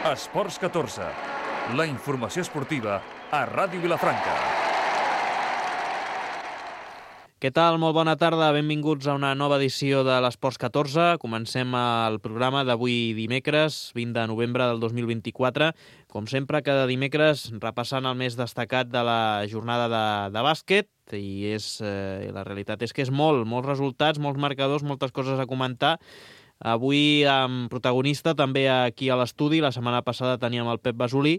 Esports 14, la informació esportiva a Ràdio Vilafranca. Què tal? Molt bona tarda, benvinguts a una nova edició de l'Esports 14. Comencem el programa d'avui dimecres, 20 de novembre del 2024. Com sempre, cada dimecres repassant el més destacat de la jornada de bàsquet, i la realitat és que és molts resultats, molts marcadors, moltes coses a comentar. Avui amb protagonista també aquí a l'estudi. La setmana passada teníem el Pep Basolí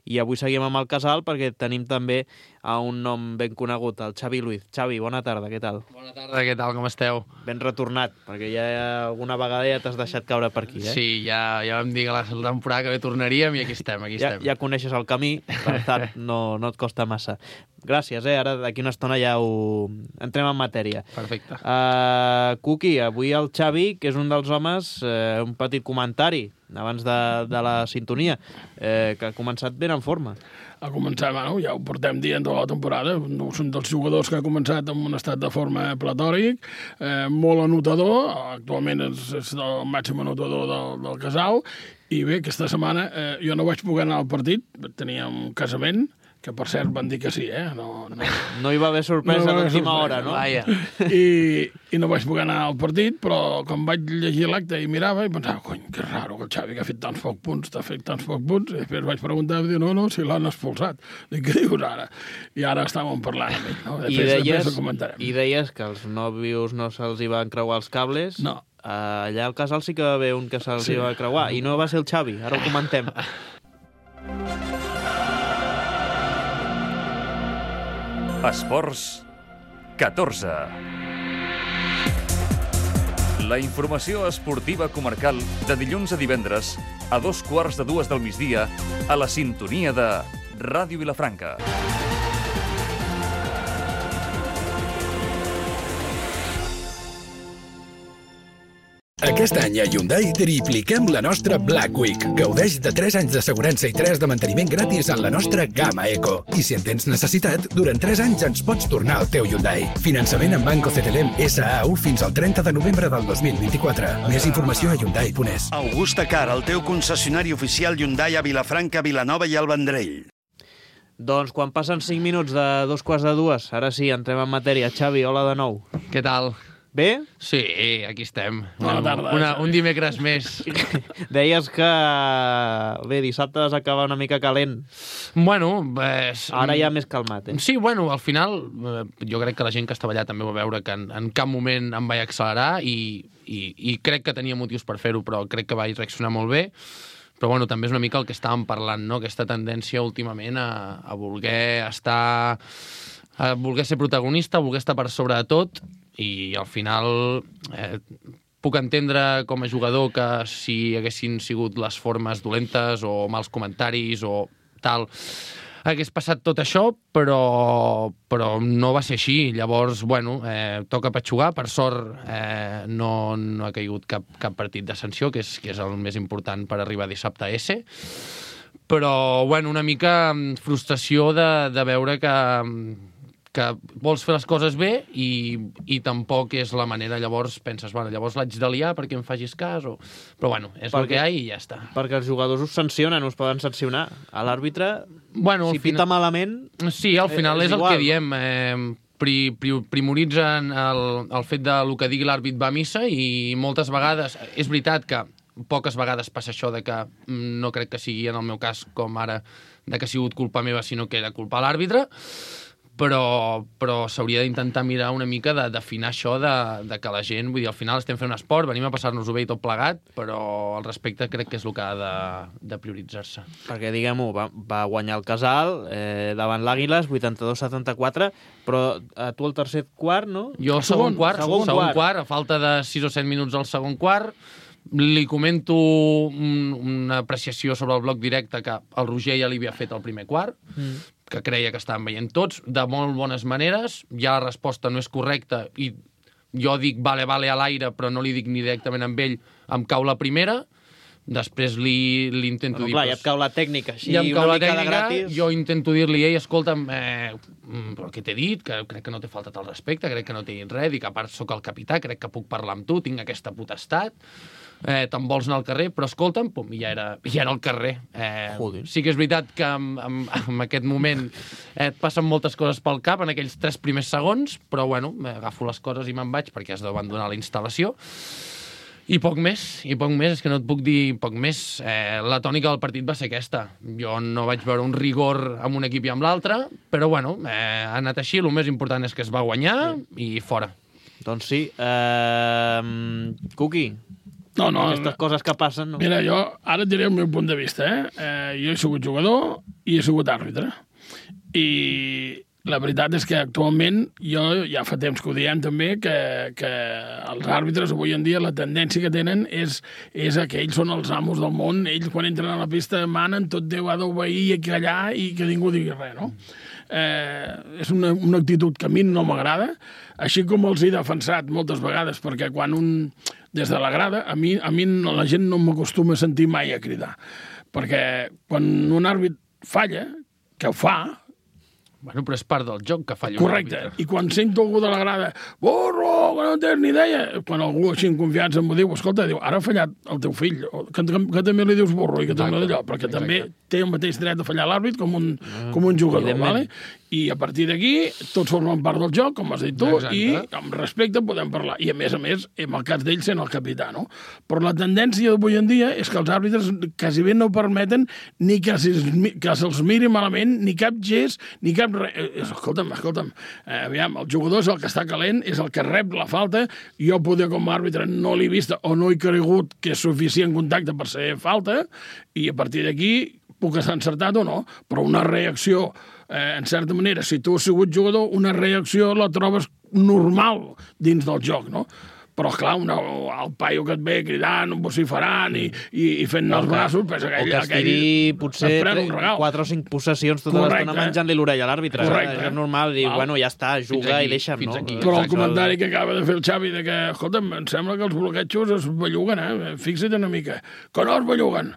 i avui seguim amb el Casal perquè tenim també a un nom ben conegut, el Xavi Luiz. Xavi, bona tarda, què tal? Bona tarda, què tal, com esteu? Ben retornat, perquè ja alguna vegada ja t'has deixat caure per aquí, eh? Sí, ja vam dir que la temporada que bé tornaríem i aquí estem. Ja coneixes el camí, per tant no et costa massa. Gràcies, ara d'aquí una estona ja entrem en matèria. Perfecte. Cuqui, avui el Xavi, que és un dels homes, un petit comentari abans de la sintonia, que ha començat ben en forma. Ha començat, ja ho portem dient tota la temporada, són dels jugadors que ha començat en un estat de forma platòric, molt anotador, actualment és el màxim anotador del Casal, i bé, aquesta setmana jo no vaig poder anar al partit, tenia un casament, que per cert van dir que sí, No hi va haver sorpresa d'última hora, no? Vaja. I no vaig poder anar al partit, però quan vaig llegir l'acte i mirava i pensava, cony, que raro que el Xavi que ha fet tants pocs punts, i després vaig preguntar, i no, si l'han expulsat. Dic, què dius ara? I ara estàvem parlant amb ell, no? Després ho comentarem. I deies que els nòvios no se'ls hi van creuar els cables. No. Allà al Casal sí que va haver un que se'ls hi va creuar, i no va ser el Xavi, ara ho comentem. Esports 14. La informació esportiva comarcal de dilluns a divendres a 2:15 del migdia a la sintonia de Ràdio Vilafranca. Aquest any a Hyundai tripliquem la nostra Black Week. Gaudeix de 3 anys d'assegurança i 3 de manteniment gratis en la nostra gamma Eco. I si en tens necessitat, durant 3 anys ens pots tornar al teu Hyundai. Finançament en Banco CTLM SAU fins al 30 de novembre del 2024. Més informació a Hyundai.es. Augusta Car, el teu concessionari oficial Hyundai a Vilafranca, Vilanova i el Vendrell. Doncs quan passen 5 minuts de 2:15, ara sí, entrem en matèria. Xavi, hola de nou. Què tal? Bé? Sí, aquí estem. Bona tarda. Un dimecres més. Deies que dissabte vas acabar una mica calent. Bueno, ara ja més calmat, eh? Sí, al final jo crec que la gent que estava allà també va veure que en cap moment em vaig accelerar i crec que tenia motius per fer-ho, però crec que vaig reaccionar molt bé. Però també és una mica el que estàvem parlant, no? Aquesta tendència últimament a voler estar... a voler ser protagonista, a voler estar per sobre de tot, i al final puc entendre com a jugador que si haguessin sigut les formes dolentes o mals comentaris o tal, hagués passat tot això, però no va ser així. Llavors, toca petxugar. Per sort no ha caigut cap partit de sanció, que és el més important per arribar dissabte a S. Però, una mica frustració de veure que vols fer les coses bé i tampoc és la manera. Llavors penses, llavors l'haig de liar perquè em facis cas, però és el que hi ha i ja està. Perquè els jugadors us sancionen, us poden sancionar. A l'àrbitre, si pita malament... Sí, al final és el que diem. Primoritzen el fet del que digui l'àrbit va a missa, i moltes vegades, és veritat que poques vegades passa això de que no crec que sigui en el meu cas com ara, de que ha sigut culpa meva, sinó que era culpa de l'àrbitre, però s'hauria d'intentar mirar una mica d'afinar això de que la gent, vull dir, al final estem fent un esport, venim a passar-nos-ho bé i tot plegat, però el respecte crec que és el que ha de prioritzar-se. Perquè, diguem-ho, va guanyar el Casal davant l'Àguiles, 82-74, però tu el tercer quart, no? Jo el segon quart, a falta de 6 o 7 minuts al segon quart, li comento una apreciació sobre el bloc directe que el Roger ja li havia fet al primer quart, que creia que estaven veient tots, de molt bones maneres. Ja la resposta no és correcta i jo dic vale a l'aire, però no li dic ni directament amb ell, em cau la primera. després li intento dir... Clar, ja et cau la tècnica, així ja em cau una la mica de tècnica, gratis. jo intento dir-li, ei, escolta'm, però què t'he dit? Que crec que no t'he faltat el respecte, crec que no t'he dit res, dic, a part sóc el capità, crec que puc parlar amb tu, tinc aquesta potestat, te'n vols anar al carrer, però escolta'm, pum, i ja era al carrer. Sí que és veritat que en aquest moment et passen moltes coses pel cap en aquells 3 primers segons, però bueno, agafo les coses i me'n vaig perquè has d'abandonar la instal·lació. I poc més, és que no et puc dir poc més. La tònica del partit va ser aquesta. Jo no vaig veure un rigor amb un equip i amb l'altre, però bueno, ha anat així, el més important és que es va guanyar i fora. Doncs sí. Cuqui, No, aquestes coses que passen... No? Mira, jo ara et diré el meu punt de vista. Jo he sigut jugador i he sigut àrbitre. I la veritat és que actualment, jo ja fa temps que ho diem també, que els àrbitres avui en dia la tendència que tenen és que ells són els amos del món, ells quan entren a la pista manen, tot Déu ha d'obeir i callar i que ningú digui res, no? És una actitud que a mi no m'agrada, així com els he defensat moltes vegades, perquè quan des de la grada, a mi la gent no m'acostuma a sentir mai a cridar, perquè quan un àrbit falla, que ho fa... Bueno, però és part del joc que falla Correcte, un àrbitre. I quan sento algú de la grada, borro, que no tens ni idea, quan algú així en confiança m'ho diu, escolta, diu, ara ha fallat el teu fill, que també li dius borro i que també d'allò, perquè també té el mateix dret a fallar l'àrbit com un jugador, ¿vale? I a partir d'aquí tots formen part del joc, com has dit tu, i amb respecte podem parlar. I a més, en el cas d'ell sent el capità, no? Però la tendència d'avui en dia és que els àrbitres quasi bé no permeten ni que se'ls miri malament, ni cap gest, ni cap res. Escolta'm, aviam, el jugador és el que està calent, és el que rep la falta, jo poder com a àrbitre no l'he vista o no he cregut que és suficient contacte per ser falta, i a partir d'aquí puc estar encertat o no, però una reacció, en certa manera, si tu has sigut jugador, una reacció la trobes normal dins del joc, no? Però, clar, el paio que et ve cridant, vociferant i fent els braços, pues aquell estigui potser 4 o 5 possessions tota l'estona menjant-li l'orella a l'àrbitre. És normal dir, bueno, ja està, juga i deixa'm, no? Però el comentari que acaba de fer el Xavi de que, escolta'm, em sembla que els bloquejos es belluguen, fixa't una mica. Que no es belluguen.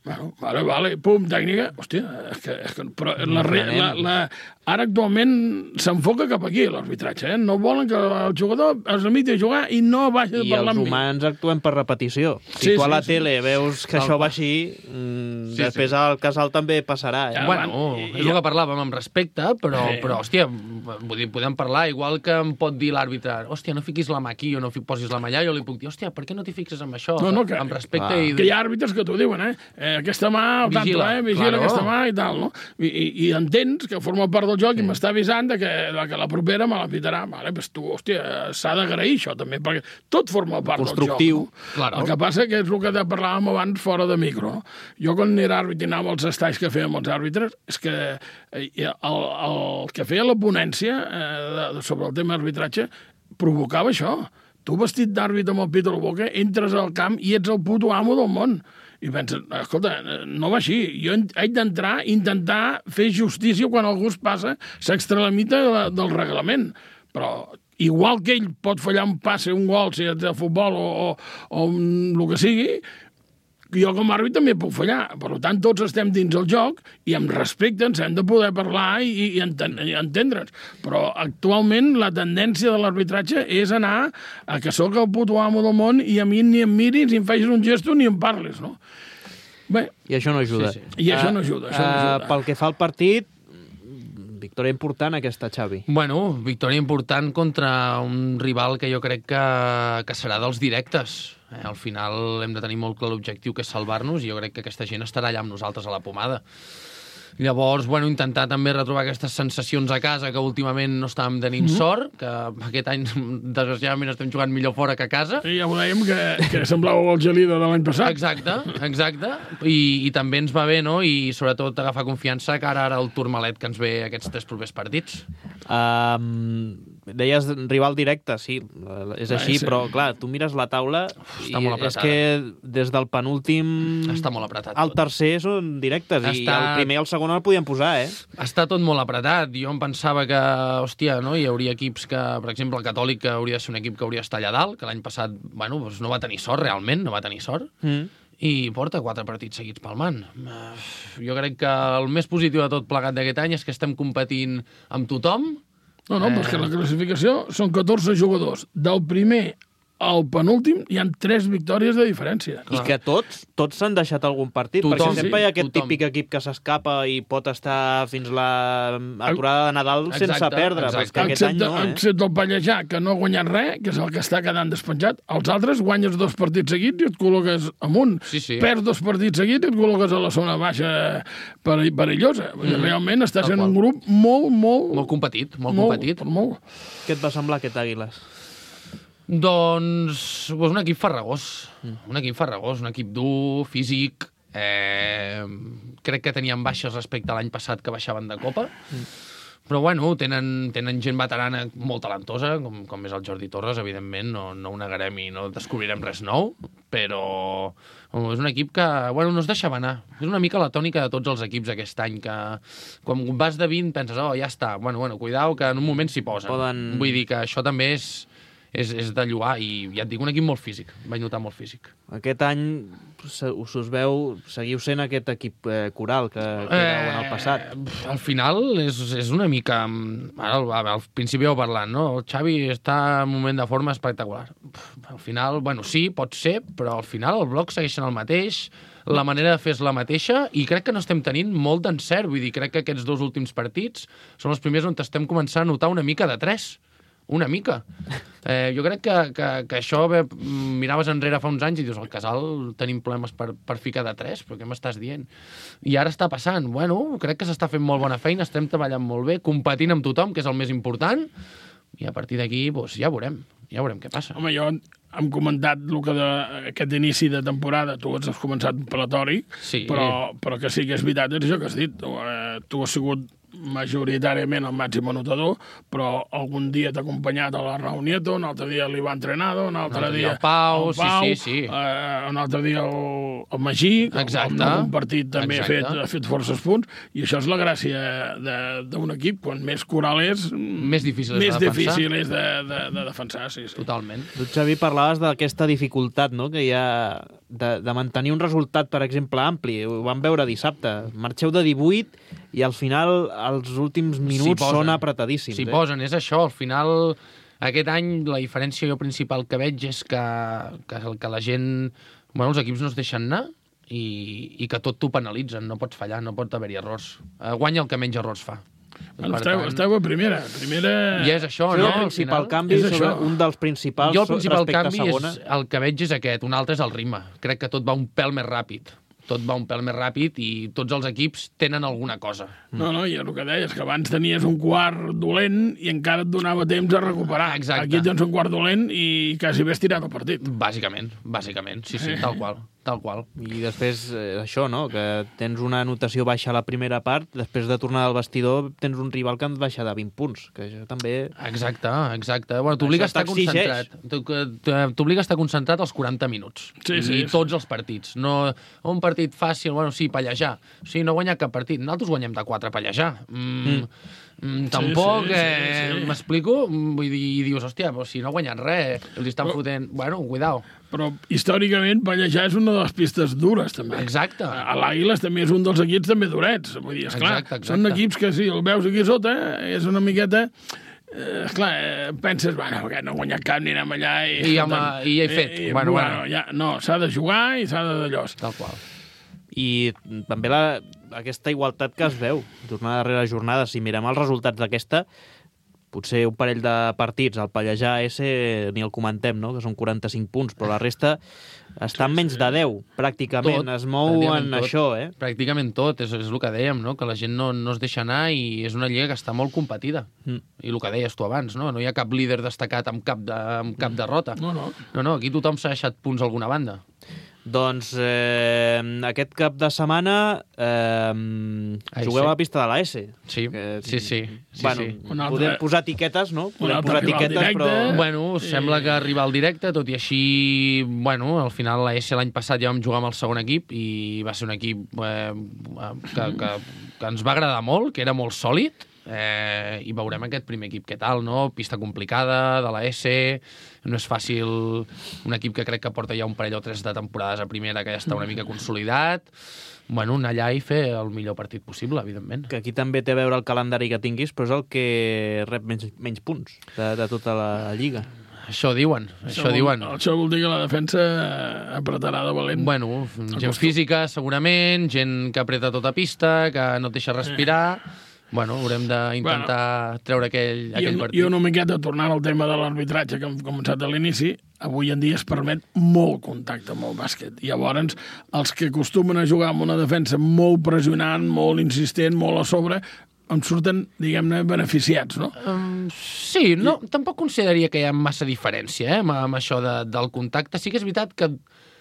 Bueno, vale, pum, tècnica. Hòstia, és que però ara actualment s'enfoca cap aquí, l'arbitratge, No volen que el jugador es limiti a jugar i no vagi a parlar amb mi. I els humans actuem per repetició. Si tu a la tele veus que això va així, després al casal també passarà. Bueno, és el que parlàvem amb respecte, però hòstia, vull dir, podem parlar, igual que em pot dir l'àrbitre, hòstia, no fiquis la mà aquí o no posis la mà allà, jo li puc dir, hòstia, per què no t'hi fixes amb això? Amb respecte i... Que hi ha àrbitres que t'ho diuen, aquesta mà, al tanto, vigila aquesta mà i tal, no? I entens que forma part del joc i m'està avisant que la propera me la pitarà. Vale, doncs tu, hòstia, s'ha d'agrair això també, perquè tot forma part del joc. No? El que passa que és el que parlàvem abans fora de micro. No? Jo quan era àrbit i anava als estalls que fèiem els àrbitres, és que el que feia la ponència sobre el tema arbitratge provocava això. Tu vestit d'àrbit amb el pit a la boca, entres al camp i ets el puto amo del món. I penses, escolta, no va així. Jo haig d'entrar, intentar fer justícia quan algú es passa, s'extralimita del reglament. Però igual que ell pot fallar un passe, un gol, si és de futbol o el que sigui, jo com a àrbit també puc fallar. Per tant, tots estem dins el joc i amb respecte ens hem de poder parlar i entendre'ns. Però actualment la tendència de l'arbitratge és anar a que sóc el puto amo del món i a mi ni em miris, ni em facis un gesto, ni em parlis, no? Bé, I això no ajuda. I això no ajuda. Pel que fa al partit, victòria important aquesta, Xavi. Bueno, victòria important contra un rival que jo crec que serà dels directes. Al final hem de tenir molt clar l'objectiu, que és salvar-nos, i jo crec que aquesta gent estarà allà amb nosaltres a la pomada. Llavors, bueno, intentar també retrobar aquestes sensacions a casa, que últimament no estàvem tenint sort, que aquest any, desgraciadament, estem jugant millor fora que a casa. I ja ho dèiem, que semblava el Gelida de l'any passat. Exacte. I també ens va bé, no? I sobretot agafar confiança que ara el Tourmalet que ens ve aquests 3 propers partits. Deies rival directe, sí, és així, però clar, tu mires la taula i és que des del penúltim està molt apretat al tercer són directes i el primer i el segon el podien posar, Està tot molt apretat. Jo em pensava que, hòstia, no, hi hauria equips que, per exemple, el Catòlic hauria de ser un equip que hauria d'estar allà dalt, que l'any passat, bueno, doncs no va tenir sort realment, no va tenir sort. i porta 4 partits seguits palmant. Jo crec que el més positiu de tot plegat d'aquest any és que estem competint amb tothom. No, però és que la classificació són 14 jugadors. Del primer al penúltim hi ha 3 victòries de diferència. I que tots s'han deixat algun partit, perquè sempre hi ha aquest típic equip que s'escapa i pot estar fins la aturada de Nadal sense perdre, però és que aquest any no, Excepte el Pallejà, que no ha guanyat res, que és el que està quedant despenjat. Els altres guanyes 2 partits seguits i et col·loques amunt. Perds 2 partits seguits i et col·loques a la zona baixa perillosa. Realment està sent un grup molt competit, molt competit. Què et va semblar aquest Àguiles? Doncs un equip farragós, un equip dur, físic. Crec que tenien baixes respecte a l'any passat que baixaven de Copa, però bueno, tenen gent veterana molt talentosa, com és el Jordi Torres, evidentment, no ho negarem i no descobrirem res nou, però és un equip que no es deixava anar. És una mica la tònica de tots els equips aquest any, que quan vas de 20 penses, ja està, cuidao, que en un moment s'hi posen. Vull dir que això també és de lloar, i ja et dic, un equip molt físic, vaig notar molt físic. Aquest any us veu, seguiu sent aquest equip coral que éreu en el passat. Al final és una mica, al principi ho parlant, no? El Xavi està en un moment de forma espectacular. Al final, sí, pot ser, però al final el bloc segueix sent el mateix, la manera de fer és la mateixa, i crec que no estem tenint molt d'encert. Vull dir, crec que aquests 2 últims partits són els primers on estem començant a notar una mica de 3. Una mica. Jo crec que això, miraves enrere fa uns anys i dius, al Casal tenim problemes per ficar de 3, però què m'estàs dient? I ara està passant. Crec que s'està fent molt bona feina, estem treballant molt bé, competint amb tothom, que és el més important, i a partir d'aquí ja veurem què passa. Home, jo hem comentat el que d'aquest inici de temporada, tu has començat platòric, però que sí que és veritat, és això que has dit. Tu has sigut majoritàriament el màxim anotador, però algun dia t'ha acompanyat a la Raúl Nieto, un altre dia l'Ivan Trenado, un altre dia el Pau, un altre dia el Magí, que en algun partit també ha fet forces punts, i això és la gràcia d'un equip. Quan més coral és, més difícil és de defensar. Sí. Totalment. Tu, Xavi, parlaves d'aquesta dificultat, no?, que hi ha de mantenir un resultat, per exemple, ampli. Ho vam veure dissabte. Marxeu de 18 i al final els últims minuts són apretadíssims. S'hi posen, és això. Al final, aquest any, la diferència principal que veig és que la gent... els equips no es deixen anar i que tot t'ho penalitzen. No pots fallar, no pot haver-hi errors. Guanya el que menys errors fa. Esteu a primera. I és això, no? El principal canvi, un dels principals respecte a segona. Jo el principal canvi el que veig és aquest, un altre és el ritme. Crec que tot va un pèl més ràpid. I tots els equips tenen alguna cosa. No, i el que deies, que abans tenies un quart dolent i encara et donava temps a recuperar. Exacte. Aquí tens un quart dolent i quasi bé estirat el partit. Bàsicament, sí, tal qual. I després, això, no?, que tens una anotació baixa a la primera part, després de tornar al vestidor tens un rival que et baixa de 20 punts, que això també... Exacte. T'obliga a estar concentrat. T'obliga a estar concentrat els 40 minuts. I tots els partits. No un partit fàcil, pallejar. No guanyar cap partit. Nosaltres guanyem de 4 a pallejar. Tampoc, m'explico? Vull dir, dius, hòstia, però si no guanyen res, els estan fotent... Cuidao. Però històricament Pallejà és una de les pistes dures, també. Exacte. A l'Àguiles també és un dels equips també durets. Vull dir, esclar, són equips que si el veus aquí sota, és una miqueta... penses, perquè no he guanyat cap ni anem allà... I ja he fet. No, s'ha de jugar i s'ha de d'allòs. Tal qual. I també aquesta igualtat que es veu jornada darrere jornada. Si mirem els resultats d'aquesta, potser un parell de partits, el Pallejà ni el comentem, no?, que són 45 punts, però la resta està en menys de 10, pràcticament. Es mou en això, Pràcticament tot, és el que dèiem, no?, que la gent no es deixa anar i és una lliga que està molt competida. I el que deies tu abans, no hi ha cap líder destacat amb cap derrota. No, aquí tothom s'ha deixat punts a alguna banda. Doncs aquest cap de setmana jugueu a la pista de la S. Sí. Podem posar etiquetes, no? Podem posar etiquetes, però... Sembla que arriba al directe, tot i així, al final la S l'any passat ja vam jugar amb el segon equip i va ser un equip que ens va agradar molt, que era molt sòlid. i veurem aquest primer equip què tal, no? Pista complicada, de la S, no és fàcil, un equip que crec que porta ja un parell o 3 de temporades a primera, que ja està una mica consolidat. Bueno, anar allà i fer el millor partit possible, evidentment. Que aquí també té a veure el calendari que tinguis, però és el que rep menys punts de tota la Lliga. Això diuen, això diuen. Això vol dir que la defensa apretarà de valent. Bueno, gent física, segurament, gent que apreta tota pista, que no et deixa respirar. Bueno, haurem d'intentar treure aquell partit. I una miqueta, tornant al tema de l'arbitratge que hem començat a l'inici, avui en dia es permet molt contacte amb el bàsquet. I llavors, els que acostumen a jugar amb una defensa molt pressionant, molt insistent, molt a sobre, en surten, diguem-ne, beneficiats, no? Sí, no, tampoc consideraria que hi ha massa diferència amb això del contacte. Sí que és veritat que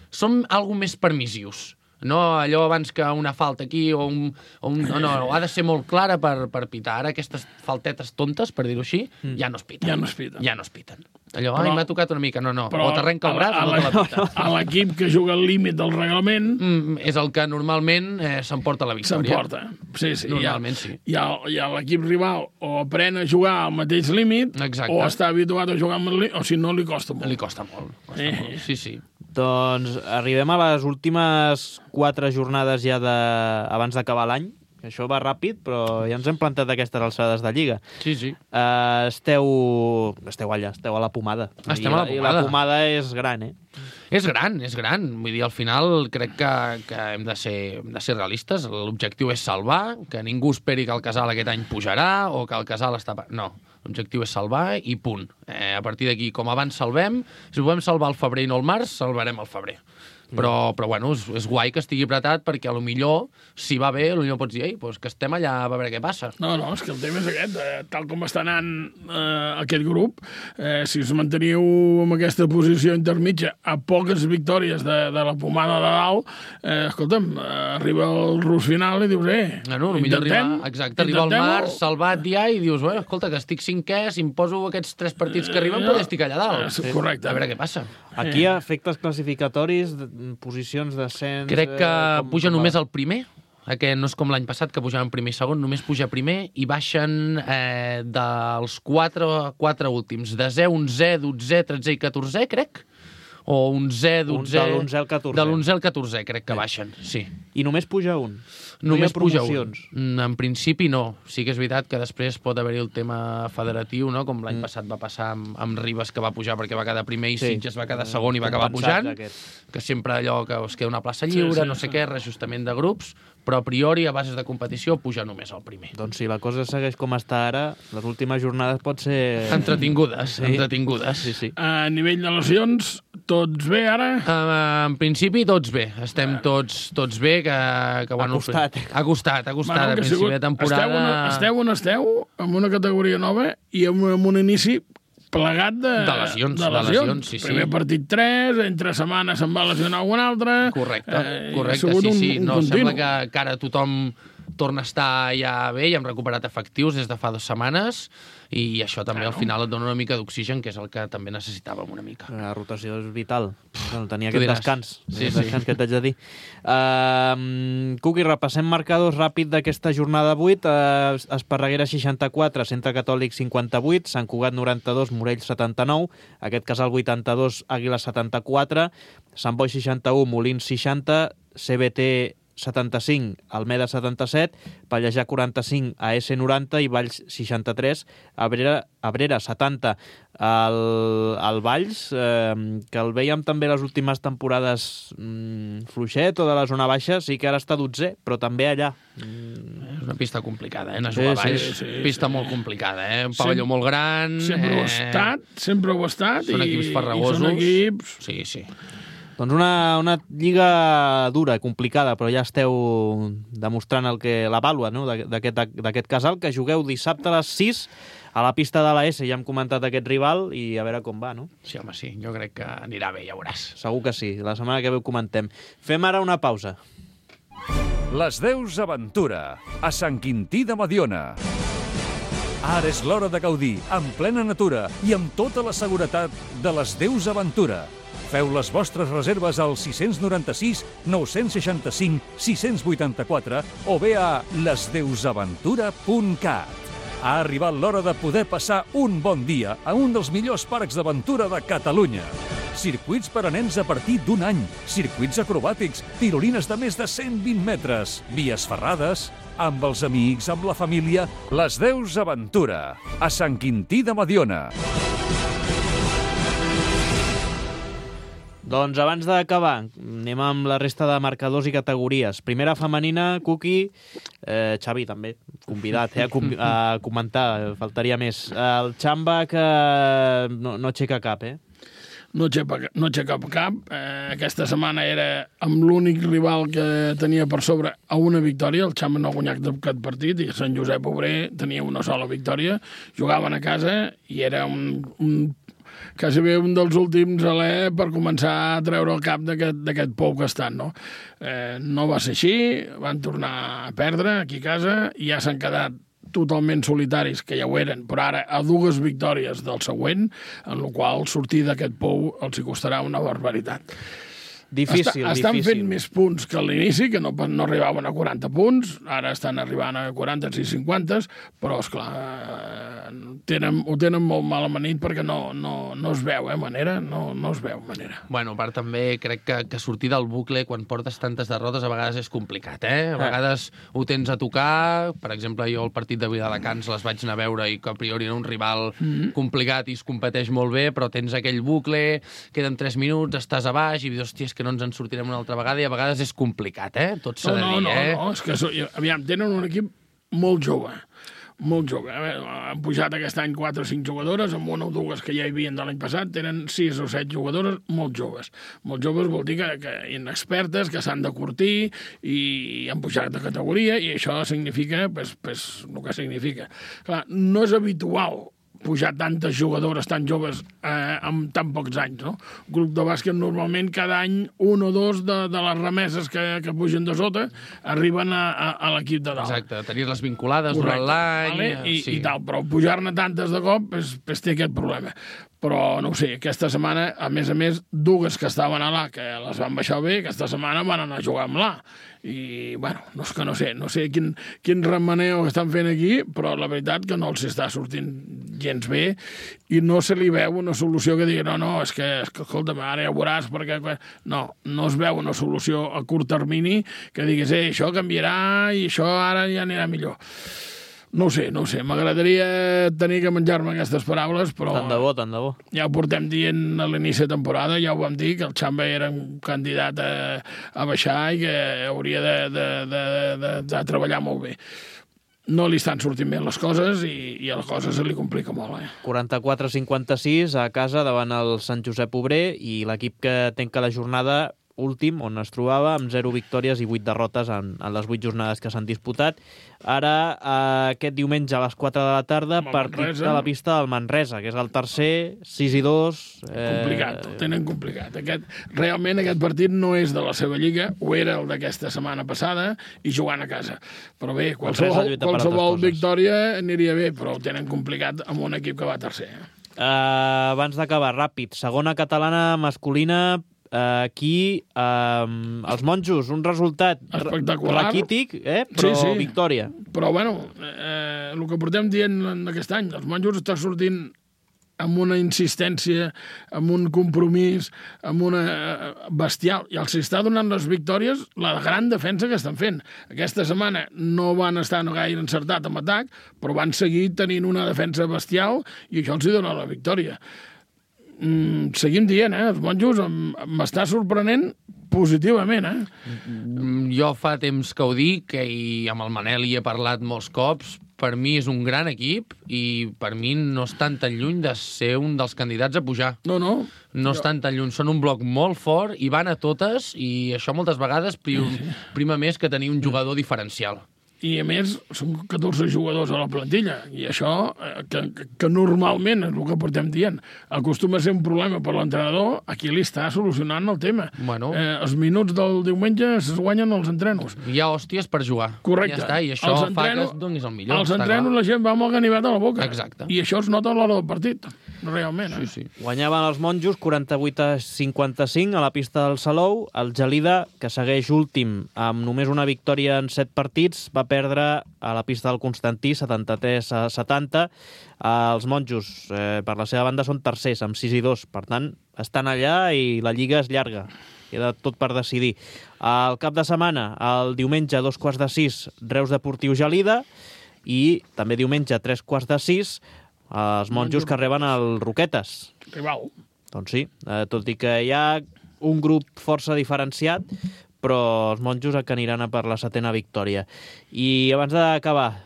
som algo més permissius. No allò abans que una falta aquí no, ha de ser molt clara per pitar. Ara aquestes faltetes tontes, per dir-ho així, ja no es piten. Ja no es piten. Allò, m'ha tocat una mica, no. O t'arrenca el braç o no te la pita. A l'equip que juga al límit del reglament... És el que normalment s'emporta la victòria. S'emporta, sí. Normalment sí. I l'equip rival o aprèn a jugar al mateix límit, o està habituat a jugar amb el límit, o si no, li costa molt. Li costa molt. Sí. Doncs arribem a les últimes 4 jornades ja abans d'acabar l'any. Això va ràpid, però ja ens hem plantat aquestes alçades de Lliga. Sí. Esteu allà, esteu a la pomada. Estem a la pomada. I la pomada és gran, És gran. Vull dir, al final crec que hem de ser realistes. L'objectiu és salvar, que ningú esperi que el Casal aquest any pujarà o que el Casal està... No, l'objectiu és salvar i punt. A partir d'aquí, com abans salvem, si ho podem salvar al febrer i no al març, salvarem al febrer. Però bueno, és guai que estigui apretat perquè potser, si va bé, potser pots dir, doncs que estem allà a veure què passa. No, és que el tema és aquest. Tal com està anant aquest grup, si us manteniu en aquesta posició intermitja a poques victòries de la pomada de dalt, escolta'm, arriba el rus final i dius, arriba al març, salvat ja, i dius, escolta, que estic 5è, si em poso aquests 3 partits que arriben, potser estic allà dalt. Correcte. A veure què passa. Aquí efectes classificatoris, posicions d'ascens... Crec que puja només el primer, que no és com l'any passat, que pujaven primer i segon, només puja primer i baixen dels 4 últims, desè, 11è, 12è, 13è i 14è, crec, o 11è, 12è... De l'11è al 14è. De l'11è al 14è, crec que baixen, sí. I només puja un? Només puja un. En principi no. Sí que és veritat que després pot haver-hi el tema federatiu, no? Com l'any passat va passar amb Ribes, que va pujar perquè va quedar primer i Sitges va quedar segon i va acabar pujant, que sempre allò que us queda una plaça lliure, no sé què, reajustament de grups, però a priori, a bases de competició, puja només el primer. Doncs si la cosa segueix com està ara, les últimes jornades pot ser... Entretingudes. Sí. A nivell de lesions, tots bé ara? En principi, tots bé. Estem tots bé, que bueno... Ha costat, a principi de temporada... Esteu on esteu, amb una categoria nova i amb un inici plegat de lesions. Sí. Primer partit 3, entre setmanes se'n va lesionar algun altre... Correcte, sí. No, sembla que ara tothom torna a estar ja bé i hem recuperat efectius des de fa 2 setmanes i això també al final et dona una mica d'oxigen, que és el que també necessitàvem una mica. La rotació és vital. Tenia aquest descans. Descans que t'haig de dir. Cuqui, repassem marcadors ràpid d'aquesta jornada 8. Esparreguera 64, Centre Catòlic 58, Sant Cugat 92, Morell 79, aquest Casal 82, Àguila 74, Sant Boi 61, Molins 60, CBT 75, Almeda 77, Pallejà 45, AS 90 i Valls 63, Abrera 70. El Valls, que el veiem també les últimes temporades fluixet o de la zona baixa, sí que ara està 12è, però també allà. És una pista complicada, anar a jugar a Valls. Pista molt complicada, un pavelló molt gran. Sempre ho ha estat. Són equips farragosos. Són equips... Sí. Doncs una lliga dura, complicada, però ja esteu demostrant la vàlua, no? d'aquest Casal, que jugueu dissabte a les 6 a la pista de la S. Ja hem comentat aquest rival i a veure com va, no? Sí, home, sí. Jo crec que anirà bé, ja veuràs. Segur que sí. La setmana que ve ho comentem. Fem ara una pausa. Les Deus Aventura, a Sant Quintí de Mediona. Ara és l'hora de gaudir, en plena natura i amb tota la seguretat de les Deus Aventura. Feu les vostres reserves al 696 965 684 o bé a lesdeusaventura.cat. Ha arribat l'hora de poder passar un bon dia a un dels millors parcs d'aventura de Catalunya. Circuits per a nens a partir d'1 any, circuits acrobàtics, tirolines de més de 120 metres, vies ferrades, amb els amics, amb la família, Les Deus Aventura, a Sant Quintí de Mediona. Doncs abans d'acabar, anem amb la resta de marcadors i categories. Primera femenina, Cuqui, Xavi també, convidat a comentar, faltaria més. El Xamba que no aixeca cap, No aixeca cap. Aquesta setmana era amb l'únic rival que tenia per sobre a una victòria. El Xamba no ha guanyat cap partit i Sant Josep Obrer tenia una sola victòria. Jugaven a casa i era quasi bé un dels últims alè per començar a treure el cap d'aquest pou que estan, no? No va ser així, van tornar a perdre aquí a casa i ja s'han quedat totalment solitaris, que ja ho eren, però ara a 2 victòries del següent, en la qual sortir d'aquest pou els hi costarà una barbaritat. Difícil. Estan fent més punts que a l'inici, que no arribaven a 40 punts, ara estan arribant a 40 i 50, però, esclar, ho tenen molt mal amanit perquè no es veu manera, no es veu manera. Bueno, a part també crec que sortir del bucle quan portes tantes derrotes a vegades és complicat, A vegades ho tens a tocar, per exemple, jo el partit de Viladecans les vaig anar a veure i que a priori era un rival complicat i es competeix molt bé, però tens aquell bucle, queden 3 minuts, estàs a baix i dius, hòstia, és que no ens en sortirem una altra vegada i a vegades és complicat, Tot s'ha de dir, No, és que, aviam, tenen un equip molt jove. Molt jove. Han pujat aquest any 4 o 5 jugadores, amb 1 o 2 que ja hi havien de l'any passat, tenen 6 o 7 jugadores molt joves. Molt joves vol dir que inexpertes, que s'han de curtir i han pujat de categoria i això significa el que significa. Clar, no és habitual pujar tantes jugadores tan joves amb tan pocs anys, no? Un grup de bàsquet normalment cada any 1 o 2 de les remeses que pugen de sota arriben a l'equip de dalt. Exacte, tenir-les vinculades durant l'any... I tal, però pujar-ne tantes de cop té aquest problema. Però, no ho sé, aquesta setmana, a més, 2 que estaven a l'A, que les van baixar bé, aquesta setmana van anar a jugar amb l'A. I, bueno, no sé quin remeneu estan fent aquí, però la veritat que no els està sortint gens bé i no se li veu una solució que digui no, és que escolta'm, ara ja ho veuràs perquè... No es veu una solució a curt termini que diguis, això canviarà i això ara ja anirà millor. No ho sé, m'agradaria tenir que menjar-me aquestes paraules, però... Tant de bo. Ja ho portem dient a l'inici de temporada, ja ho vam dir, que el Xamba era un candidat a baixar i que hauria de treballar molt bé. No li estan sortint bé les coses i a la cosa se li complica molt. 44-56 a casa davant el Sant Josep Obrer i l'equip que tanca la jornada últim, on es trobava, amb 0 victòries i 8 derrotes en les 8 jornades que s'han disputat. Ara, aquest diumenge a les 4 de la tarda, partit de la pista del Manresa, que és el tercer, 6-2. Complicat, ho tenen complicat. Realment aquest partit no és de la seva lliga, ho era el d'aquesta setmana passada, i jugant a casa. Però bé, qualsevol victòria aniria bé, però ho tenen complicat amb un equip que va tercer. Abans d'acabar, ràpid, segona catalana masculina, aquí els monjos, un resultat raquític, però sí. Victòria. Però bueno, el que portem dient aquest any, els monjos estan sortint amb una insistència, amb un compromís, amb una bestial, i els està donant les victòries la gran defensa que estan fent. Aquesta setmana no van estar gaire encertat amb atac, però van seguir tenint una defensa bestial i això els dona la victòria. Seguim dient, els monjos m'està sorprenent positivament, Jo fa temps que ho dic i amb el Manel hi he parlat molts cops. Per mi és un gran equip i per mi no estan tan lluny de ser un dels candidats a pujar. No estan tan lluny, són un bloc molt fort i van a totes i això moltes vegades prima més que tenir un jugador diferencial. I, a més, són 14 jugadors a la plantilla. I això, que normalment és el que portem dient, acostuma a ser un problema per l'entrenador, aquí li està solucionant el tema. Bueno. Els minuts del diumenge es guanyen els entrenos. Hi ha hòsties per jugar. Correcte. Ja està, i això fa que es donis el millor. Els entrenos la gent va amb el ganivet a la boca. Exacte. I això es nota a l'hora del partit, realment. Sí. Guanyaven els monjos 48-55 a la pista del Salou. El Gelida, que segueix últim amb només una victòria en 7 partits, va perdre a la pista del Constantí 73-70. Els monjos, per la seva banda, són tercers, amb 6-2. Per tant, estan allà i la Lliga és llarga. Queda tot per decidir. El cap de setmana, el diumenge, a 5:45, Reus Deportiu Gelida, i també diumenge, a 5:45, els monjos que reben el Roquetes. Rival. Doncs sí, tot i que hi ha un grup força diferenciat, però els monjos que aniran a per la 7ª victòria. I abans d'acabar,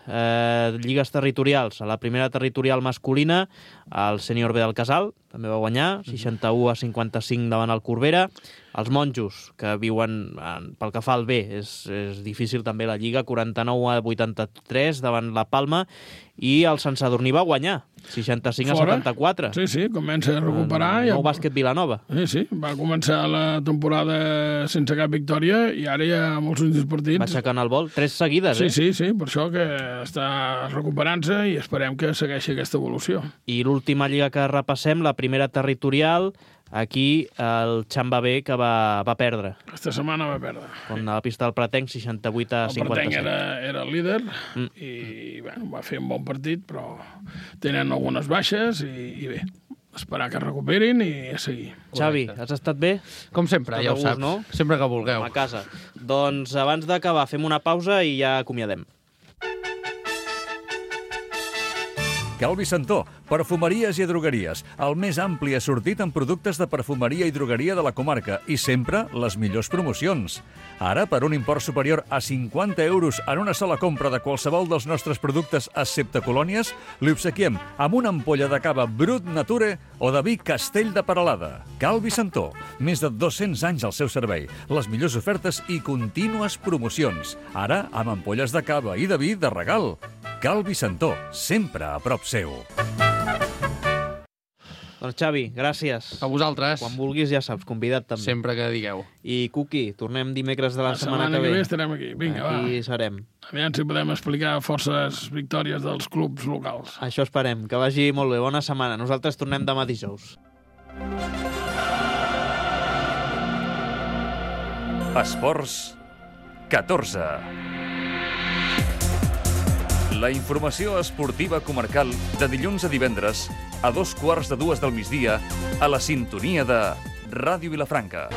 lligues territorials. A la primera territorial masculina, el sènior B del Casal també va guanyar, 61-55 davant el Corbera. Els monjos, que viuen, pel que fa al B, és difícil també la Lliga, 49-83 davant la Palma, i el Sant Sadurní va guanyar, 65-74. Sí, comença a recuperar. Nou bàsquet Vilanova. Sí, va començar la temporada sense cap victòria i ara hi ha molts últims partits. Va aixecant el vol, 3 seguides, Sí, per això que està recuperant-se i esperem que segueixi aquesta evolució. I l'última lliga que repassem, la primera territorial, aquí el Xamba B, que va perdre. Aquesta setmana va perdre. On a la pista del Pretenc, 68-57. El Pretenc era el líder i va fer un bon partit, però tenen algunes baixes i bé, esperar que recuperin i a seguir. Xavi, has estat bé? Com sempre, ja ho saps. No? Sempre que vulgueu. A casa. Doncs abans d'acabar fem una pausa i ja acomiadem. Calvi Santó, perfumeries i drogueries, el més ampli assortit en productes de perfumeria i drogueria de la comarca i sempre les millors promocions. Ara, per un import superior a 50 euros en una sola compra de qualsevol dels nostres productes excepte colònies, li obsequiem amb una ampolla de cava Brut Nature o de vi Castell de Peralada. Calvi Santó, més de 200 anys al seu servei, les millors ofertes i contínues promocions. Ara, amb ampolles de cava i de vi de regal. Calvi Santó, sempre a prop seu. Doncs Xavi, gràcies. A vosaltres. Quan vulguis, ja saps, convidat també. Sempre que digueu. I Cuqui, tornem dimecres de la setmana que ve. ve. Estarem aquí. Vinga, aquí serem. Aviam si podem explicar forces victòries dels clubs locals. Això esperem. Que vagi molt bé. Bona setmana. Nosaltres tornem demà dijous. Esports 14. La informació esportiva comarcal de dilluns a divendres a 2:15 del migdia a la sintonia de Ràdio Vilafranca.